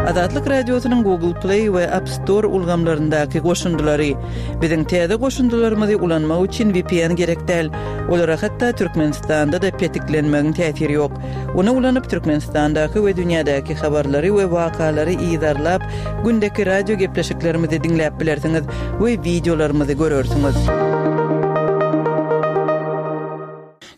Azatlyk Radiosynyň Google Play we App Store ulgamlaryndaky goşundylary. Biziň täze goşundylarymyzy ulanmak üçin VPN gerek däl. Olara hatda Türkmenistanda-da petiklenmegiň täsiri ýok. Ony ulanyp Türkmenistandaky we dünýädäki habarlary we wakalary yzarlap, gündeki radio gepleşiklerimizi diňläp bilersiňiz we wideolarymyzy görersiňiz.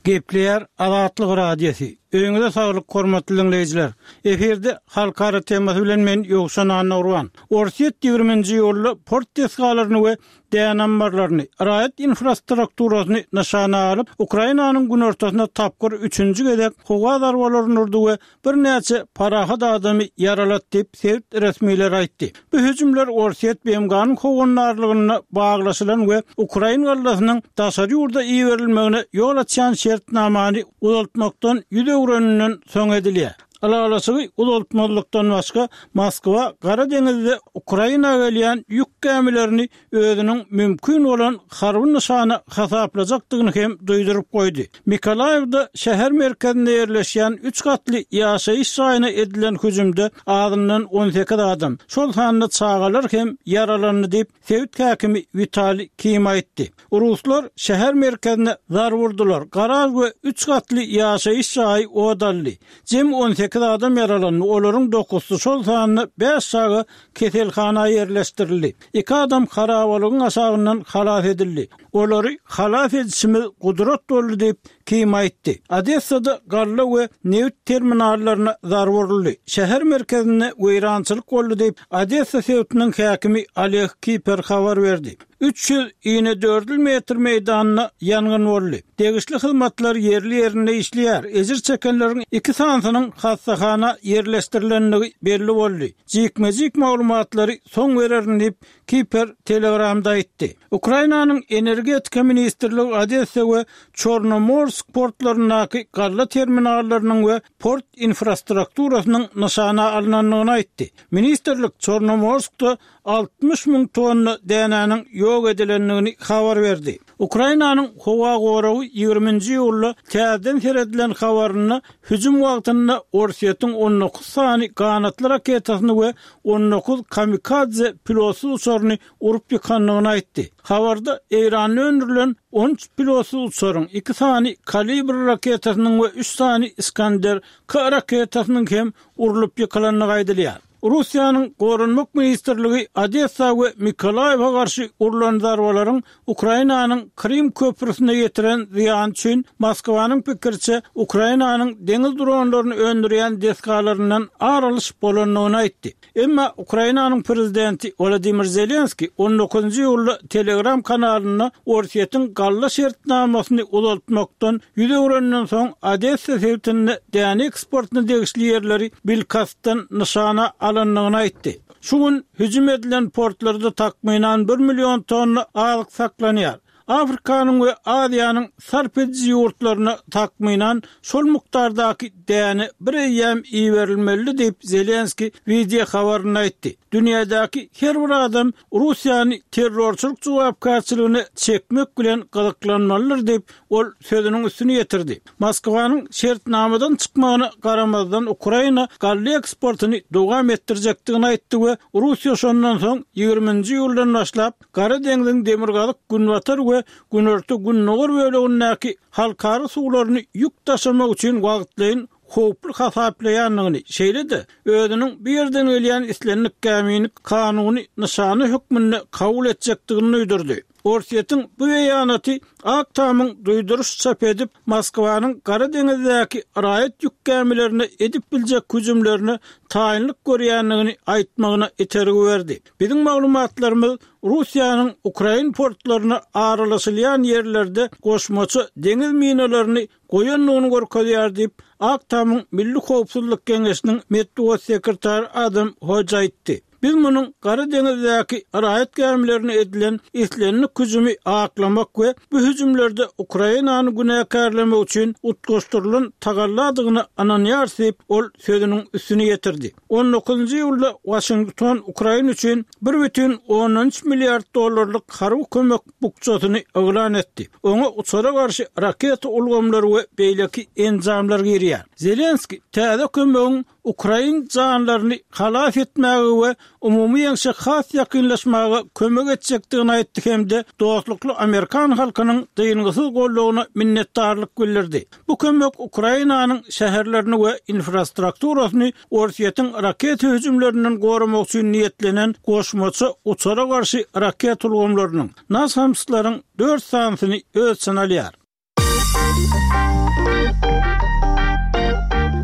Gepleýär Azatlyk Radiosy. Öýüňize saglyk hormatly diňleýjiler. Efirde Halkara temasy bilen men Ýowşan Annagurban. Orsýet 20-nji iýulda port desgalaryny we däne ammarlaryny, raýat infrastrukturasyny nyşana alyp, Ukrainanyň günortasynda tapgyr üçünji gezek howa zarbalaryny urdy we birnäçe parahat adamy ýaralady diýip, sebit resmileri aýtdy. Bu hüjümler Orsýet BMG-niň howandarlygynda baglaşylan we ukrain gallasynyň daşary ýurda iberilmegine ýol açýan şertnamany uzaltmakdan ýüz öwreninden soň edilýär. Ylalaşygy uzaltmazlykdan başga, Moskwa Gara deňizde Ukraina gelýän ýük gämilerini özüniň mümkin bolan harby nyşana hasaplajakdygyny hem duýduryp goýdy. Mykolaýiwda şäher merkezinde ýerleşýän üç gatly ýaşaýyş jaýyna edilen hüjümde azyndan 18 adam, şol sanda çagalar hem ýaralandy diýip, sebit häkimi Witaliý Kim aýtdy. Ruslar şäher merkezine zarba urdular, garaž we üç gatly ýaşaýyş jaýy ot aldy. Jemi 18 adam ýaralandy, olaryň dokuzsy, şol sanda bäş çaga keselhana ýerleşdirildi. Iki adam harabalygyň aşagyndan halas edildi. Olary halas edişimiz gudrat boldy diýip, Kim aýtdy. Odessada galla we nebit terminallaryna zarba uruldy. Şäher merkezinde weýrançylyk boldy diýip, Odessa sebitiniň häkimi Oleg Kiper habar berdi. 300 inedördül metr meýdanda ýangyn boldy. Degişli hyzmatlar ýerli-ýerinde işleýär. Ejir çekenleriň iki sanysynyň hassahana ýerleşdirilendigi belli boldy. Jikme-jik maglumatlary soň bererin diýip, Kiper Telegramda aýtdy. Ukrainanyň Energetika ministrligi Odessa we Çornomorsk portlaryndaky galla terminallarynyň we port infrastrukturasynyň nyşana alnandygyny aýtdy. Ministrlik Çornomorskda 60 müň tonna dänäniň ýok edilendigini habar berdi. Ukrainanyň howa goragy 20-nji iýulda täzeden seredilen habarynda hüjüm wagtynda Orsýetiň 19 sany ganatly raketasyny we 19 kamikadze pilotsyz uçaryny urup ýykandygyny aýtdy. Habarda Eýranda öndürilen 13 pilotsyz uçaryň, iki sany Kalibr raketasynyň we üç sany Iskander-K raketasynyň hem urlup ýykylandygy aýdylýar. Russiýanyň Goranmak ministrligi Odessa we Mykolaýiwe garşy urlan zarbalaryň Ukrainanyň Krym köprüsine ýetiren zyýany üçin Moskwanyň pikiriçe Ukrainanyň deňiz dronlaryny öndürýän desgalaryndan ar alyş bolandygyny aýtdy. Emma Ukrainanyň prezidenti Wolodymyr Zelenskiý on dokuzynjy iýulda Telegram kanalynda Orsýetiň galla şertnamasyny uzaltmakdan ýüz öwrenden soň Odessa sebitinde däne eksportyna degişli ýerleri bilkastdan nyşana alandygyny aýtdy. Şu gün hüjüm edilen portlarda takmynan bir million tonna azyk saklanýar. Afrikanyň we Aziýanyň sarp ediji ýurtlaryna takmynan şol mukdardaky däne bir eýýäm iberilmelidi diýip, Zelenskiý wideo habarynda aýtdy. Dünýädäki her bir adam Russiýany terrorçylyk jogapkärçiligine çekmek bilen gyzyklanmalydyr diýip, ol sözüniň üstüni ýetirdi. Moskwanyň şertnamadan çykmagyna garamazdan Ukraina galla eksportyny dowam etdirjekdigini aýtdy we Russiýa şondan soň 20-nji iýuldan başlap Gara deňziň demirgazyk-günbatar we günorta-gündogar bölegindäki halkara suwlaryny ýük daşamak üçin wagtlaýyn howply hasaplaýandygyny, şeýle-de özüniň bu ýerden gelýän islendik gämini kanuny nyşana hökmünde kabul etjekdigini duýdurdy. Orsýetiň bu beýanaty Ak Tamyň duýduryş çap edip, Moskwanyň Gara deňizdäki raýat ýük gämilerine edip biljek hüjümlerine taýynlyk görýändigini aýtmagyna itergi berdi. Biziň maglumatlarymyz Russiýanyň ukrain portlaryna aralaşylýan ýerlerde goşmaça deňiz minalaryny goýandygyny görkezýär diýip, Ak Tamyň Milli howpsuzlyk geňeşiniň metbugat sekretary Adam Hoj aýtdy. Biz munuň Gara deňizdäki raýat gämilerine edilen islendik hüjümi aklamak we bu hüjümlerde Ukrainany günäkärlemek üçin utgaşdyrylan tagalladygyna ynanýarys diýip, ol sözüniň üstüni ýetirdi. On dokuzynjy iýulda Waşington Ukraina üçin bir bütin ondan üç milliard dollarlyk harby kömek bukjasyny yglan etdi. Oňa uçara garşy raketa ulgamlary we beýleki enjamlar girýär. Zelenskiý täze kömegiň. ukrain janlaryny halas etmäge we umumy ýeňşe has ýakynlaşmaga kömek etjekdigini aýtdy hem-de dostlukly amerikan halkynyň dyngysyz goldawyna minnetdarlyk bildirdi. Bu kömek Ukrainanyň şäherlerini we infrastrukturasyny Orsýetiň raketa hüjümlerinden goramak üçin niýetlenen goşmaça uçara garşy raketa ulgamlarynyň, NASAMS-laryň dört sanysyny öz içine alýar.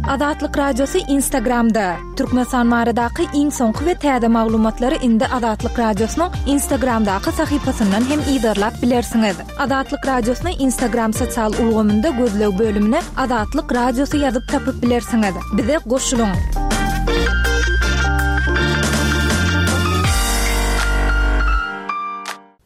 Azatlyk Radiosy Instagramda, Türkmenistan baradaky iň soňky we täze maglumatlary indi Azatlyk Radiosynyň Instagramdaky sahypasyndan hem yzarlap bilersiňiz. Azatlyk Radiosyny Instagram sosial ulgamynda gözleg bölümine Azatlyk Radiosy ýazyp tapyp bilersiňiz. Bize goşulyň!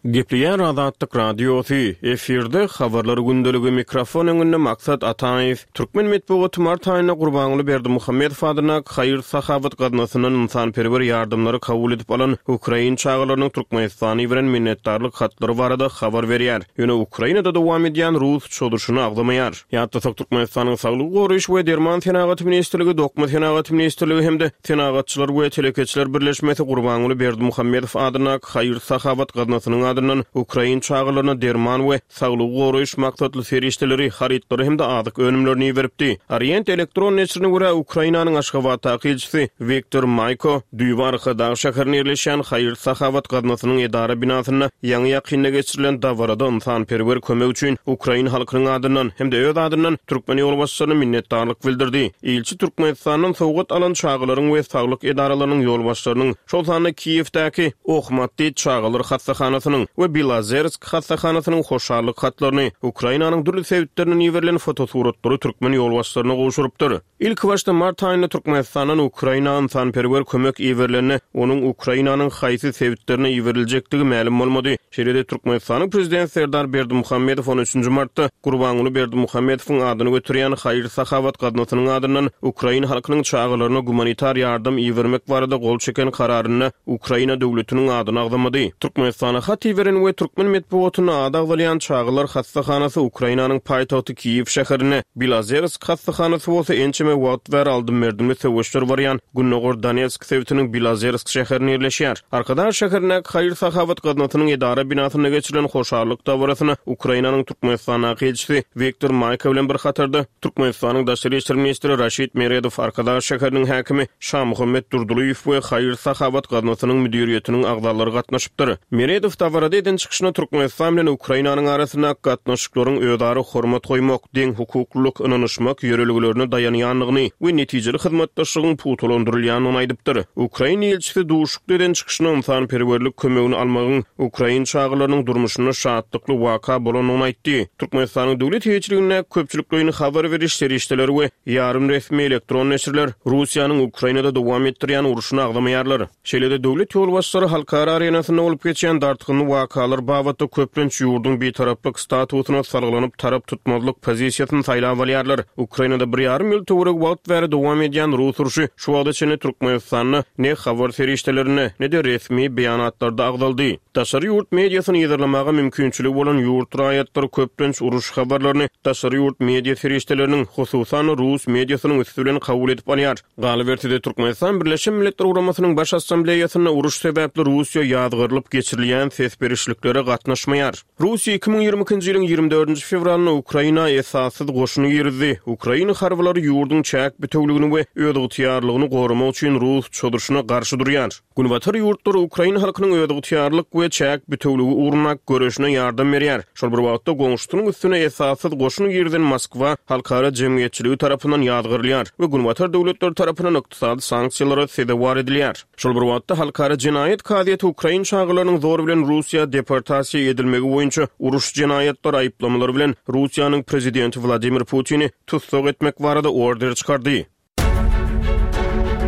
Gepleýär Azatlyk Radiosy, efirde Habarlar gündeligi, mikrofon öňünde Maksat Ataýew. Türkmen metbugaty mart aýynda Gurbanguly Berdimuhamedow adyndaky haýyr-sahawat gaznasyndan ynsanperwer ýardamlary kabul edip alan ukrain çagalarynyň Türkmenistana iberen minnetdarlyk hatlary barada habar berýär. Ýöne Ukrainada dowam edýän rus çozuşyny agzamaýar. Ýatlasak, Türkmenistanyň Saglygy goraýyş we derman senagaty ministrligi, Dokma senagaty ministrligi hem-de Senagatçylar we telekeçiler birleşmesi Gurbanguly Berdimuhamedow adyndaky haýyr-sahawat gaznasynyň adyndan ukrain çagalaryna derman we saglygy goraýyş maksatly serişdeleri, harytlary hem-de azyk önümlerini iberipdi. Orient elektron neşirine görä, Ukrainanyň Aşgabatdaky ilçisi Wiktor Maýko düýbi Arkadag şäherinde ýerleşýän haýyr-sahawat gaznasynyň edara binasynda ýaňy-ýakynda geçirilen dabarada ynsanperwer kömek üçin ukrain halkynyň adyndan hem-de öz adyndan türkmen ýolbaşçylaryna minnetdarlyk bildirdi. Ilçi Türkmenistandan sowgat alan çagalaryň we saglyk edaralarynyň ýolbaşçylarynyň, şol sanda Kiýewdäki Ohmatdit çagalar hassahanasynyň we Bilazersk hassahanasynyň hoşallyk hatlaryny, Ukrainanyň dürli sebitlerinden iberilen fotosuratlary türkmen ýolbaşçylaryna gowşurypdyr. Ilkibaşda mart aýynda Türkmenistandan Ukraina ynsanperwer kömek iberilende, onuň Ukrainanyň haýsy sebitlerine iberiljekdigi mälim bolmady. Şeýle-de Türkmenistanyň Prezidenti Serdar Berdimuhamedow on üçünji martda Gurbanguly Berdimuhamedowyň adyny göterýän haýyr-sahawat gaznasynyň adyndan ukrain halkynyň çagalaryna gumanitar ýardam ibermek barada gol çeken kararynda Ukraina döwletiniň adyny agzamady. Türkmenistana hat iberen we türkmen metbugatynda ady agzalýan çagalar hassahanasy Ukrainanyň paýtagty Kiýew şäherinde, Bilazersk hassahanasy bolsa ençeme wagt bäri aldym-berdimli söweşler barýan gündogar Donetsk sebitiniň Bilazersk şäherinde ýerleşýär. Arkadag şäherindäki haýyr-sahawat gaznasynyň edara binasynda geçirilen hoşallyk dabarasyna Ukrainanyň Türkmenistandaky ilçisi Wiktor Maýko bilen bir hatarda Türkmenistanyň Daşary işler ministri Raşid Meredow, Arkadag şäheriniň häkimi Şamuhammet Durdylyýew we haýyr-sahawat gaznasynyň müdiriýetiniň agzalary gatnaşypdyr. Meredow dabarada eden çykyşynda Türkmenistan bilen Ukrainanyň arasyndaky gatnaşyklaryň özara hormat goýmak, deňhukuklylyk, ynanyşmak ýörelgelerine daýanýandygyny we netijeli hyzmatdaşlygyň pugtalandyrylýandygyny aýdypdyr. Ukrain ilçisi duşuşykda eden çykyşynda ynsanperwerlik kömegini almagyň ukrain çagalarynyň durmuşynda şatlykly waka bolandygyny aýtdy. Türkmenistanyň döwlet eýeçiligindäki köpçülikleýin habar beriş serişdeleri we ýarym resmi elektron neşirler Russiýanyň Ukrainada dowam etdirýän urşuny agzamaýarlar. Şeýle-de döwlet ýolbaşçylary halkara arenasynda bolup geçýän dartgynly wakalar babatda köplenç ýurduň bitaraplyk statusyna salgylanyp tarap tutmazlyk pozisiýasyny saýlap alýarlar. Ukrainada bir ýarym ýyl töweregi wagt bäri dowam edýän rus urşy şu wagta çenli Türkmenistanda ne habar serişdelerinde, ne-de resmi beýanatlarda agzaldy. Daşary ýurt mediasyny yzarlamaga mümkinçiligi bolan ýurt raýatlary köplenç uruş habarlaryny daşary ýurt media serişdeleriniň, hususan-da rus mediasynyň üsti bilen kabul edip alýar. Galyberse-de, Türkmenistan Birleşen Milletler Guramasynyň Baş Assambleýasynda uruş sebäpli Russiýa ýazgarylyp geçirilýän ses berişliklere gatnaşmaýar. Russiýa 2022-nji ýylyň 24-nji fewralynda Ukraina esassyz goşun girizdi. Ukraina harbylary ýurduň çäk bitewligini we özygtyýarlygyny goramak üçin rus çozuşyna garşy durýar. Günbatar ýurtlary ukrain halkynyň özygtyýarlyk we çäk bitewligi ugrundaky göreşine ýardam berýär. Şol bir wagtda, goňşusynyň üstüne esassyz goşun girizen Moskwa halkara jemgyýetçiligi tarapyndan ýazgarylýar we Günbatar döwletleri tarapyndan ykdysady sanksiýalara sezewar edilýär. Şol bir wagtda, Halkara jenaýat kazyýeti ukrain çagalarynyň zor bilen Russiýa deportasiýa edilmegi boýunça uruş jenaýatlary aýyplamalary bilen Russiýanyň prezidenti Wladimir Putini tussag etmek barada order çykardy.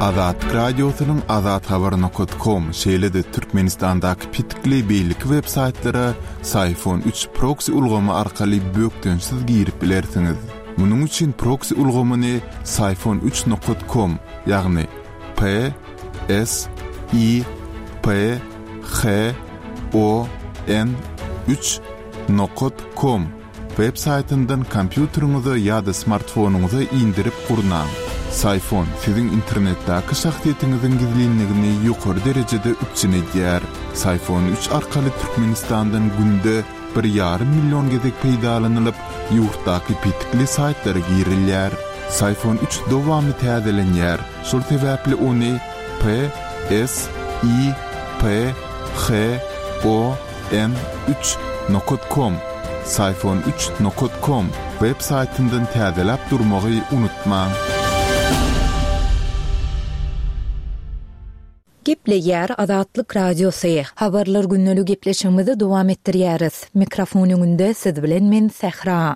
Azatlyk Radiosynyň azathabar nokat kom şeýle-de Türkmenistandaky petikli beýleki web saýtlara Syfon üç proksi ulgamy arkaly bökdençsiz girip bilersiňiz. Munuň üçin proksi ulgamyny Syfon üç nokat kom, ýagny P S I P H O N üç nokat kom Web saýtyndan kompýuteriňize ýa-da smartfonyňyza indirip gurnaň. Syfon siziň internetdäki şahsyýetiňiziň gizlinligini ýokary derejede üpjün edýär. Syfon üç arkaly Türkmenistandan günde bir ýarym million gezek peýdalanylyp, ýurtdaky petikli saýtlara girilýär. Syfon üç dowamly täzelenýär, şol sebäpli ony P S I P H O N üç nokat kom, Syfon üç nokat kom, web saýtyndan täzeläp durmagy unutmaň. Gepleýär Azatlyk Radiosy. Habarlar gündeli gepleşigimizi dowam etdirýäris. Mikrofon öňünde siz bilen men Sähra.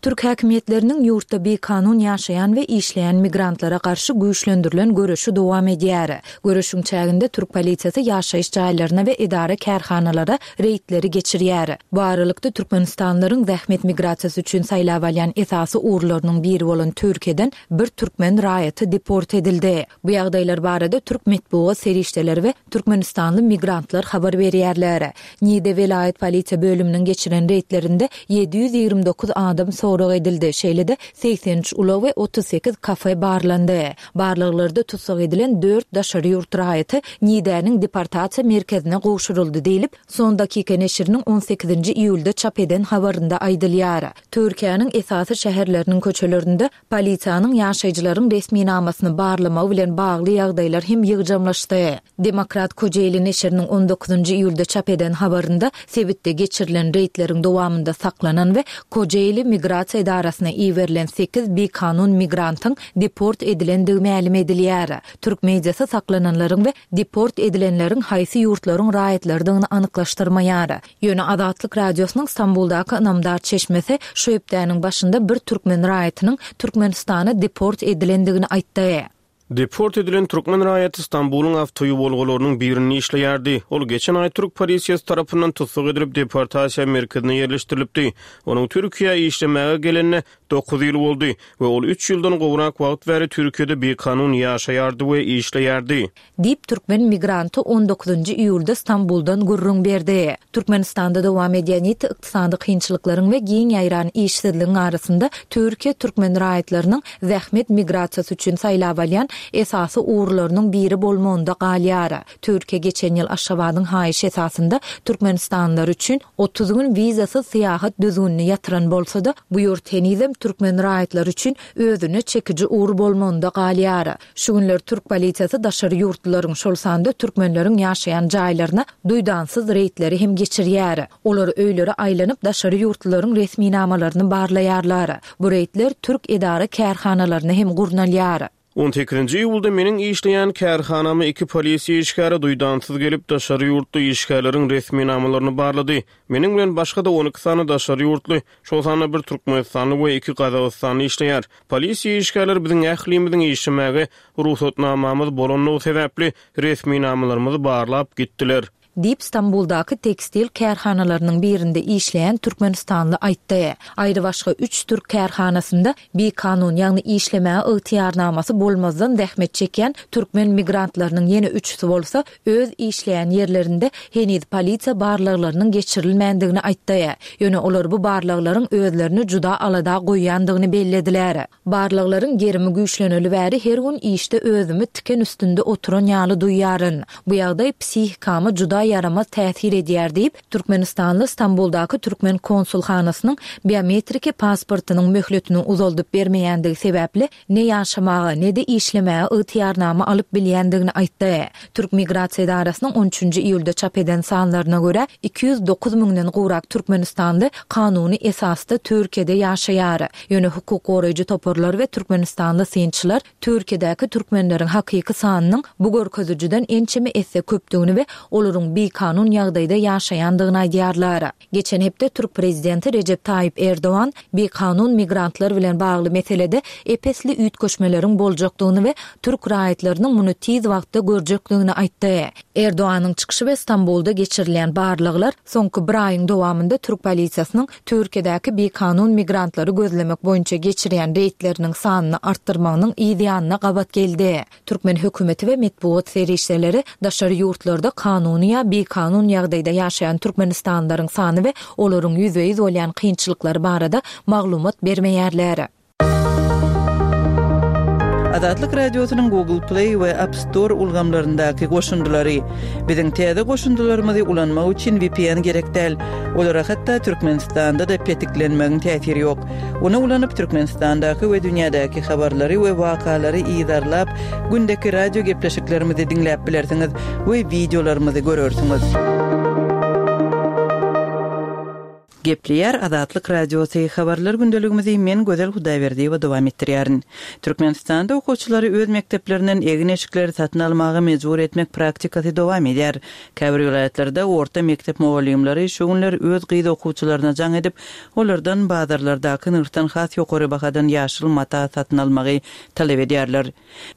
Türk häkimiýetleriniň ýurtda bikanun ýaşaýan we işleýän migrantlara garşy güýçlendirilen göreşi dowam edýär. Göreşiň çäginde türk polisiýasy ýaşaýyş jaýlaryna we edara-kärhanalara reýdleri geçirýär. Bu aralykda türkmenistanlylaryň zähmet migrasiýasy üçin saýlap alýan esasy ugurlarynyň biri bolan Türkiýeden bir türkmen raýaty deport edildi. Bu ýagdaýlar barada türk metbugat serişdeleri we türkmenistanly migrantlar habar berýärler. Nide welaýat polisiýa bölüminiň geçiren reýdlerinde 729 adam sorag edildi, şeýle-de 83 ulag we 38 kafe barlandy. Barlaglarda tussag edilen dört daşary ýurt raýaty Nidäniň deportasiýa merkezine gowşuryldy diýlip, Son Dakika neşiriniň on sekizinji iýulda çap eden habarynda aýdylýar. Türkiýäniň esasy şäherleriniň köçelerinde Polisiýanyň ýaşaýjylaryň resminamasyny barlamagy bilen bagly ýagdaýlar hem ýygjamlaşdy. Demokrat Kojeýli neşiriniň on dokuzynjy iýulda çap eden habarynda sebitde geçirilen reýdleriň dowamynda saklanan we Kojeýli migrasiýa edarasyna iberilen sekiz bikanun migrantyň deport edilendigi mälim edilýär. Türk mediasy saklananlaryň we deport edilenleriň haýsy ýurtlaryň raýatlarydygyny anyklaşdyrmaýar. Ýöne Azatlyk Radiosynyň Stambuldaky ynamdar çeşmesi şu hepdäniň başynda bir türkmen raýatynyň Türkmenistana deport edilendigini aýtdy. Deport edilen türkmen raýaty Stambulyň awtoýuwalgalarynyň birinde işleýärdi. Ol geçen aý türk polisiýasy tarapyndan tussag edilip, deportasiýa merkezine ýerleşdirilipdi. Onuň Türkiýä işlemäge gelenine dokuz ýyl boldy we ol üç ýyldan gowrak wagt bäri Türkiýede bikanun ýaşaýardy we işleýärdi. Diýip, türkmen migranty on dokuzynjy iýulda Stambuldan gürrüň berdi. Türkmenistanda dowam edýän ýiti ykdysady kynçylyklaryň we giň ýaýran işsizligiň arasynda Türkiýe türkmen raýatlarynyň zähmet migrasiýasy üçin saýlap alýan esasy ugurlarynyň biri bolmagynda galýar. Türkiýe geçen ýyl Aşgabadyň haýyşy esasynda türkmenistanlylar üçin 30 gün wizasyz syýahat düzgünini ýatyran bolsa-da, bu ýurt henizem türkmen raýatlary üçin özüne çekiji ugur bolmagynda galýar. Şu günler türk polisiýasy daşary ýurtlularyň, şol sanda türkmenleriň ýaşaýan jaýlaryna duýdansyz reýdleri hem geçirýär. Olar öýlere aýlanyp, daşary ýurtlularyň resminamalaryny barlaýarlar. Bu reýdler türk edara-kärhanalaryna hem gurnalýar. On sekizinji iýulda meniň işleýän kärhanama iki polisiýa işgäri duýdansyz gelip, daşary ýurtly işgärleriň resminamalaryny barlady. Meniň bilen başga-da on iki sany daşary ýurtly, şol sanda bir türkmenistanly we iki gazagystanly işleýär. Polisiýa işgärleri biziň ählimiziň işlemäge rugsatnamamyz bolandygy sebäpli, resminamalarymyzy barlap gitdiler. Diýip, Stambuldaky tekstil kärhanalarynyň birinde işleýän türkmenistanly aýtdy. Aýrybaşga üç türk kärhanasynda bikanun, ýagny işlemäge ygtyýarnamasy bolmazdan zähmet çekýän türkmen migrantlarynyň ýene üçüsi bolsa, öz işleýän ýerlerinde heniz polisiýa barlaglarynyň geçirilmändigini aýtdy. Ýöne olar bu barlaglaryň özlerini juda alada goýýandygyny bellediler. Barlaglaryň gerimi güýçleneli bäri her gün işde özümi tiken üstünde oturan ýaly duýýaryn. Bu ýagdaý psihikama juda ýaramaz täsir edýär diýip, türkmenistanly Stambuldaky türkmen konsulhanasynyň biometriki pasportynyň möhletini uzaldyp bermeýändigi sebäpli ne ýaşamaga, ne-de işlemäge ygtyýarnama alyp bilýändigini aýtdy. Türk migrasiýa edarasynyň on üçünji iýulda çap eden sanlaryna görä, 209 müňden gowrak türkmenistanly kanuny esasda Türkiýede ýaşaýar. Ýöne hukuk goraýjy toparlar we türkmenistanly synçylar Türkiýedäki türkmenleriň hakyky sanynyň bu görkezijiden ençeme esse köpdügini we olaryň bikanun ýagdaýda ýaşaýandygyny aýdýarlar. Geçen hepde türk prezidenti Rejep Taýyp Erdogan bikanun migrantlar bilen bagly meselede ep-esli üýtgeşmeleriň boljakdygyny we türk raýatlarynyň muny tiz wagtda görjekdigini aýtdy. Erdoganyň çykyşy we Stambulda geçirilýän barlaglar soňky bir aýyň dowamynda türk polisiýasynyň Türkiýedäki bikanun migrantlary gözlemek boýunça geçirýän reýdleriniň sanyny artdyrmagynyň yz ýanyna gabat geldi. Türkmen hökümeti we metbugat serişdeleri daşary ýurtlarda kanuny ýa bikanun ýagdaýda ýaşaýan türkmenistanlylaryň sany we olaryň ýüzbe-ýüz bolýan kynçylyklary barada maglumat bermeýärler. Azatlyk Radiosynyň Google Play we App Store ulgamlaryndaky goşundylary. Biziň täze goşundylarymyzy ulanmak üçin VPN gerek däl. Olara hatda Türkmenistanda-da petiklenmegiň täsiri ýok. Ony ulanyp Türkmenistandaky we dünýädäki habarlary we wakalary yzarlap, gündeki radio gepleşiklerimizi diňläp bilersiňiz we wideolarymyzy görersiňiz. Gepleýär Azatlyk Radiosy, Habarlar gündeligimizi men Gözel Hudaýberdiýewa dowam etdirýärin. Türkmenistanda okuwçylary öz mekdeplerinden egin-eşikleri satyn almaga mejbur etmek praktikasy dowam edýär. Käbir welaýatlarda orta mekdep mugallymlary şu günler öz gyz okuwçylaryna jaň edip, olardan bazarlardaky nyrhdan has ýokary bahadan ýaşyl mata satyn almagy talap edýärler.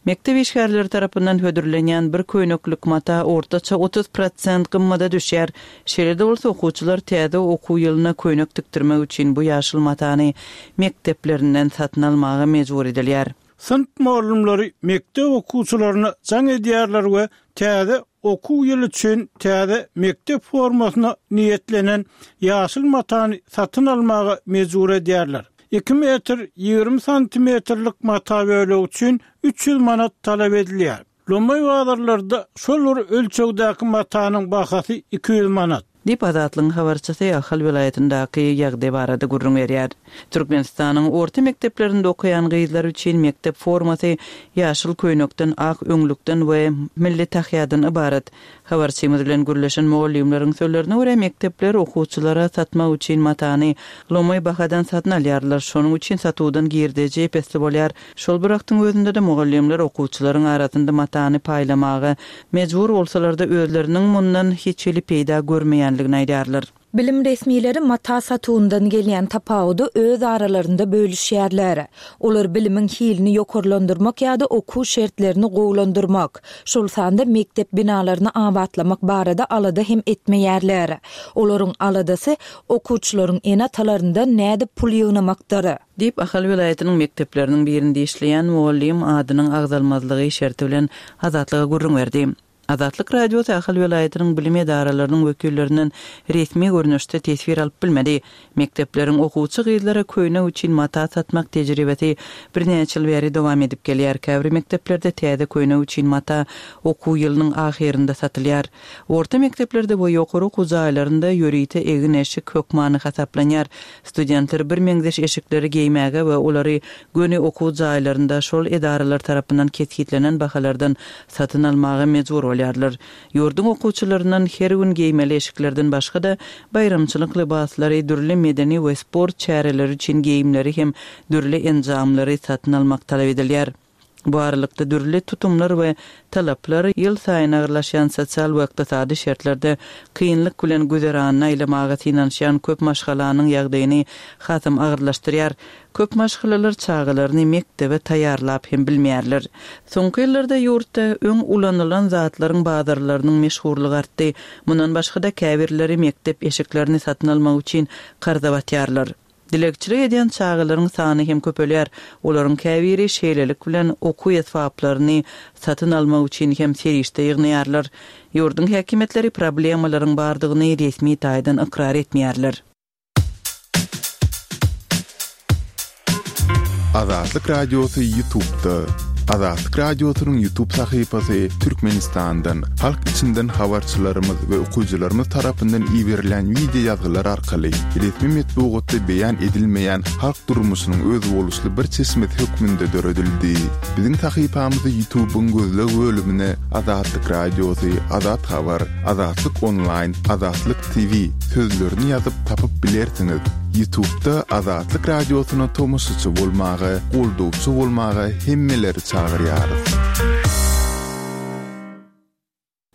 Mekdep işgärleri tarapyndan hödürlenýän bir köýneklik mata ortaça 30 prosent gymmada düşýär. Şeýle-de bolsa, okuwçylar täze okuw ýylyna köýnek tikdirmek üçin bu ýaşyl matany mekdeplerinden satyn almaga mejbur edilýär. Synp mugallymlary mekdep okuwçylaryna jaň edýärler we täze okuw ýyly üçin täze mekdep formasyna niýetlenen ýaşyl matany satyn almaga mejbur edýärler. Iki metr 20 santimetrlik mata bölegi üçin 300 manat talap edilýär. Lomaý bazarlarda şol bir ölçegdäki matanyň bahasy 200 manat. Diýip, Azatlygyň habarçysy Ahal welaýatyndaky ýagdaý barada gürrüň berýär. Türkmenistanyň orta mekdeplerinde okaýan gyzlar üçin mekdep formasy ýaşyl köýnekden, ak öňlükden we milli tahýadan ybarat. Habarçymyz bilen gürleşen mugallymlaryň sözlerine görä, mekdepler okuwçylara satmak üçin matany lomaý bahadan satyn alýarlar, şonuň üçin satuwdan girdeji ep-esli bolýar. Şol bir wagtyň özünde-de mugallymlar okuwçylaryň arasynda matany paýlamaga mejbur bolsalar-da, özleriniň mundan hiç hili peýda görmeýänligini aýdýarlar. Bilim resmileri mata satuwyndan gelýän tapawudy öz aralarynda bölüşýärler. Olar bilimiň hilini ýokarlandyrmak ýa-da okuw şertlerini gowulandyrmak, şol sanda mekdep binalaryny abatlamak barada alada hem etmeýärler. Olaryň aladasy okuwçylaryň ene-atalaryndan nädip pul ýygnamakdyr. Diýip, Ahal welaýatynyň mekdepleriniň birinde işleýän mugallym adynyň agzalmazlygy şerti bilen Azatlyga gürrüň berdi. Azatlyk Radiosy Ahal welaýatynyň bilim edaralarynyň wekillerinden resmi görnüşde teswir alyp bilmedi. Mekdepleriň okuwçy gyzlara köýnek üçin mata satmak tejribesi birnäçe ýyl bäri dowam edip gelýär. Käbir mekdeplerde täze köýnek üçin mata okuw ýylynyň ahyrynda satylýar. Orta mekdeplerde we ýokary okuw jaýlarynda ýörite egin-eşik hökmany hasaplanýar. Studentler birmeňzeş eşikleri geýmäge we olary göni okuw jaýlarynda şol edaralar tarapyndan kesgitlenen bahalardan satyn almaga mejbur bolýarlar. Ýurduň okuwçylaryndan her gün geýmeli eşiklerden başga-da, baýramçylyk lybaslary, dürli medeni we sport çäreleri üçin geýimleri hem dürli enjamlary satyn almak talap edilýär. Bu aralykda dürli tutumlar we talaplar ýylsaýyn agyrlaşýan sosial we ykdysady şertlerde kynlyk bilen güzeranyny aýlamaga synanyşýan köp maşgalanyň ýagdaýyny hasam agyrlaşdyrýar. Köp maşgalalar çagalaryny mekdebe taýýarlap hem bilmeýärler. Soňky ýyllarda ýurtda öň ulanylan zatlaryň bazarlarynyň meşhurlygy artdy. Mundan başga-da käbirleri mekdep eşiklerini satyn almak üçin karza batýarlar. Dilegçilik edýän çagalaryň sany hem köpelýär. Olaryň käbiri şeýlelik bilen okuw esbaplaryny satyn almak üçin hem serişde ýygnaýarlar. Ýurduň häkimiýetleri problemalaryň bardygyny resmi taýdan ykrar etmeýärler. Azatlyk Radiosy Ýutubda. Azatlyk Radiosynyň Ýutub sahypasy Türkmenistandan, halk içinden habarçylarymyz we okyjylarymyz tarapyndan iberilen wideo ýazgylar arkaly resmi metbugatda beýan edilmeýän halk durmuşynyň özboluşly bir çeşmesi hökmünde döredildi. Biziň sahypamyzy Ýutubyň gözleg bölümine Azatlyk Radiosy, Azat Habar, Azatlyk Onlaýn, Azatlyk TV sözlerini ýazyp tapyp bilersiňiz. Ýutubda Azatlyk Radiosyna tomaşaçy bolmaga, goldawçy bolmaga hemmeleri çagyrýarys.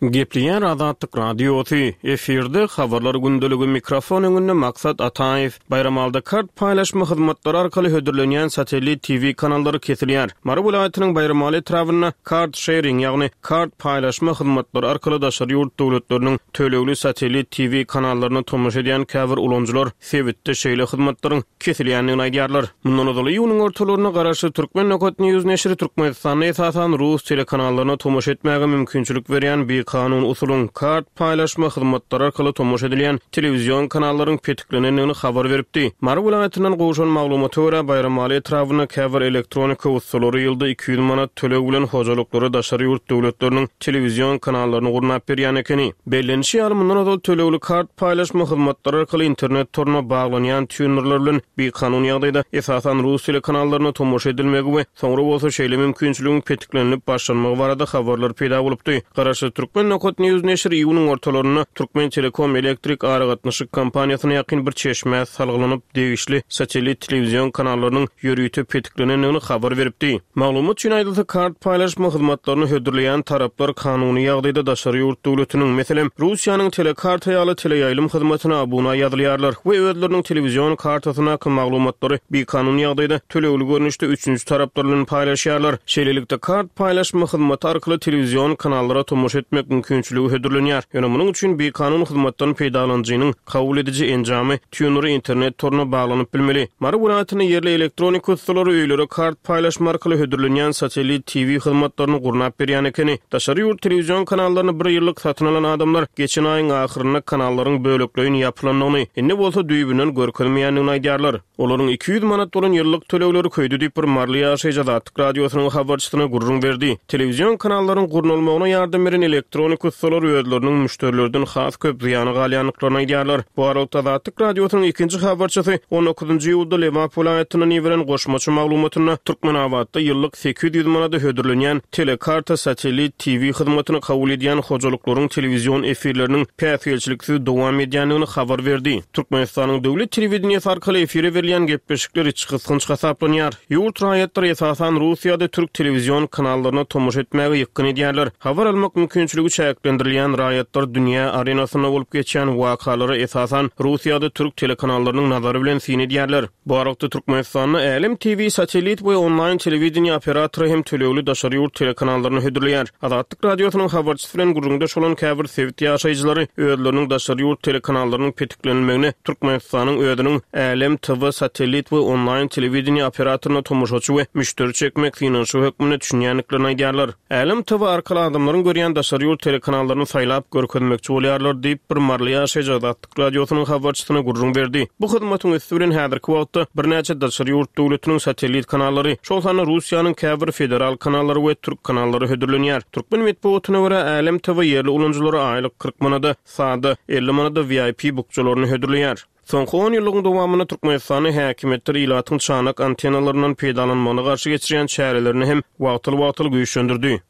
Gepleýär Azatlyk Radiosy, efirde Habarlar gündeligi, mikrofon öňünde Maksat Ataýew. Baýramalyda kart paýlaşma hyzmatlary arkaly hödürlenýän satellit TV kanallary kesilýär. Mary welaýatynyň Baýramaly etrabynda kart şering, ýagny kart paýlaşma hyzmatlary arkaly daşary ýurt döwletleriniň tölegli satellit TV kanallaryna tomaşa edýän käbir ulanyjylar sebitde şeýle hyzmatlaryň kesilýändigini aýdýarlar. Mundan ozal iýunyň ortalarynda garaşsyz Turkmen. News neşiri Türkmenistanda esasan rus telekanallaryna tomaşa etmäge mümkinçilik berýän bir. bikanun usulyň, kart paýlaşma hyzmatlary arkaly tomaşa edilýän telewizion kanallaryň petiklenendigini habar beripdi. Mary welaýatyndan gowşan maglumata görä, Baýramaly etrabynda käbir elektronika ussalary ýylda 200 manat töleg bilen hojalyklara daşary ýurt döwletleriniň telewizion kanallaryny gurnap berýän ekeni. Bellenişi ýaly, mundan ozal tölegli kart paýlaşma hyzmatlary arkaly internet toruna baglanýan týunerler bilen bikanun ýagdaýda, esasan, rus telekanallaryna tomaşa edilmegi we soňra bolsa şeýle mümkinçiligiň petiklenilip başlanmagy barada habarlar peýda bolupdy. Garaşsyz Türkmen Nokat News neşiri iýunyň ortalarynda Türkmentelekom elektrik aragatnaşyk kompaniýasyna ýakyn bir çeşmä salgylanyp, degişli satellit telewizion kanallarynyň ýörite petiklenendigini habar beripdi. Maglumat üçin aýdylsa, kart paýlaşma hyzmatlaryny hödürleýän taraplar kanuny ýagdaýda daşary ýurt döwletiniň, meselem, Russiýanyň Telekarta ýaly teleýaýlym hyzmatyna abuna ýazylýarlar we özleriniň telewizion kartasyndaky maglumatlary bikanun ýagdaýda tölegli görnüşde üçünji taraplar bilen paýlaşýarlar. Şeýlelikde, kart paýlaşma hyzmaty arkaly telewizion kanallara tomaşa etmek mümkinçiligi hödürlenýär. Ýöne munuň üçin bikanun hyzmatdan peýdalanyjynyň kabul ediji enjamy Týuneri internet toruna baglanyp bilmeli. Mary welaýatynda ýerli elektronika ussalary öýlere kart paýlaşma arkaly hödürlenýän satellit TV hyzmatlaryny gurnap berýän ekeni. Daşary ýurt telewizion kanallaryny bir ýyllyk satyn alan adamlar geçen aýyň ahyrynda kanallaryň bölekleýin ýapylandygyny, indi bolsa düýbünden görkezmeýändigini aýdýarlar. Olaryň 200 manat bolan ýyllyk tölegleri köýdi diýip, bir maryly ýaşaýjy Azatlyk Radiosynyň habarçysyna gürrüň berdi. Telewizion kanallaryň gurnalmagyna ýardam beren elektronik ussalar özleriniň müşderilerden has köp zyýana galýandyklaryny aýdýarlar. Bu aralykda, Azatlyk Radiosynyň ikinji habarçysy on dokuzynjy iýulda Lebap welaýatyndan iberen goşmaça maglumatynda Türkmenabatda ýyllyk 800 manada hödürlenýän Telekarta satellit TV hyzmatyny kabul edýän hojalyklaryň telewizion efirleriniň päsgelçiliksiz dowam edýändigini habar berdi. Türkmenistanyň döwlet telewideniýesi arkaly efire berilýän gepleşikler içgysgynç hasaplanýar. Ýurt raýatlary esasan rus ýa-da türk telewizion kanallaryna tomaşa etmäge ýykgyn edýärler. Habar almak mümkinçiligi çäklendirilýän raýatlar dünýä arenasynda bolup geçýän wakalara esasan rus ýa-da türk telekanallarynyň nazary bilen syn edýärler. Bu aralykda Türkmenistanda Älem TV satellit we onlaýn telewideniýe operatory hem tölegli daşary ýurt telekanallaryny hödürleýär. Azatlyk Radiosynyň habarçysy bilen gürrüňdeş bolan käbir sebit ýaşaýjylary özleriniň daşary ýurt telekanallarynyň petiklenilmegine Türkmenistanyň özüniň Älem TV satellit we onlaýn telewideniýe operatoryna tomaşaçy we müşderi çekmek synanyşygy hökmünde düşünýändiklerini aýdýarlar. Älem TV arkaly adamlaryň görýän daşary ýurt telekanallaryny saýlap görkezmekçi bolýarlar diýip, bir maryly ýaşaýjy Azatlyk Radiosynyň habarçysyna gürrüň berdi. Bu hyzmatyň üsti bilen häzirki wagtda birnäçe daşary ýurt döwletiniň satellit kanallary, şol sanda Russiýanyň käbir federal kanallary we türk kanallary hödürlenýär. Türkmen metbugatyna görä, Älem TV ýerli ulanyjylara aýlyk 40 manada sada, 50 manada VIP bukjalaryny hödürleýär. Soňky on ýyllygyň dowamynda Türkmenistanda häkimiýetler ilatyň çanak antennalaryndan peýdalanmagyna garşy geçirýän çärelerini hem wagtal-wagtal güýçlendirdi.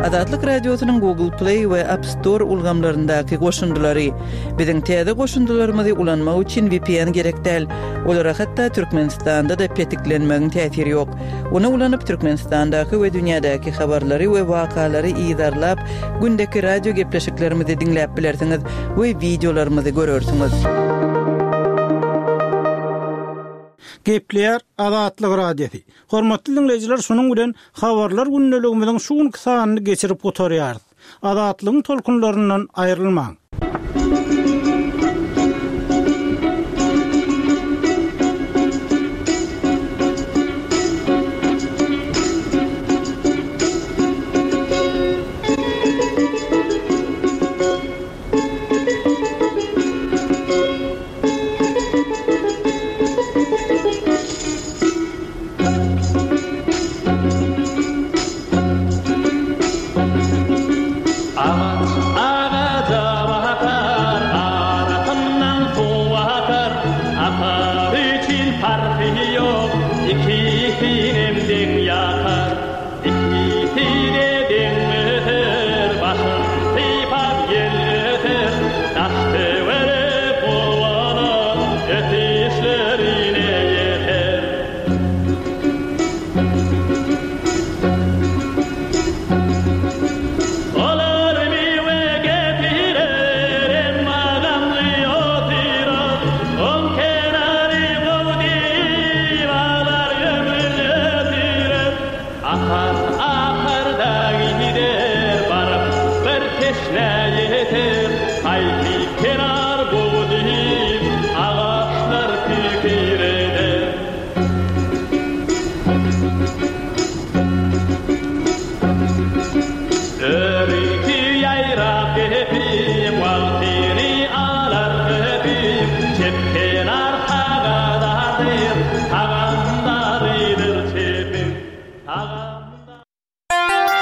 Azatlyk Radiosynyň Google Play we App Store ulgamlaryndaky goşundylary. Biziň täze goşundylarymyzy ulanmak üçin VPN gerek däl. Olara hatda Türkmenistanda-da petiklenmegiň täsiri ýok. Ony ulanyp, Türkmenistandaky we dünýädäki habarlary we wakalary yzarlap, gündeki radio gepleşiklerimizi diňläp bilersiňiz we wideolarymyzy görersiňiz. Gepleýär Azatlyk Radiosy. Hormatly diňleýjiler şunuň bilen Habarlar gündeligimiziň şu günki sanyny geçirip gutarýarys. Azatlygyň tolkunlaryndan aýrylmaň.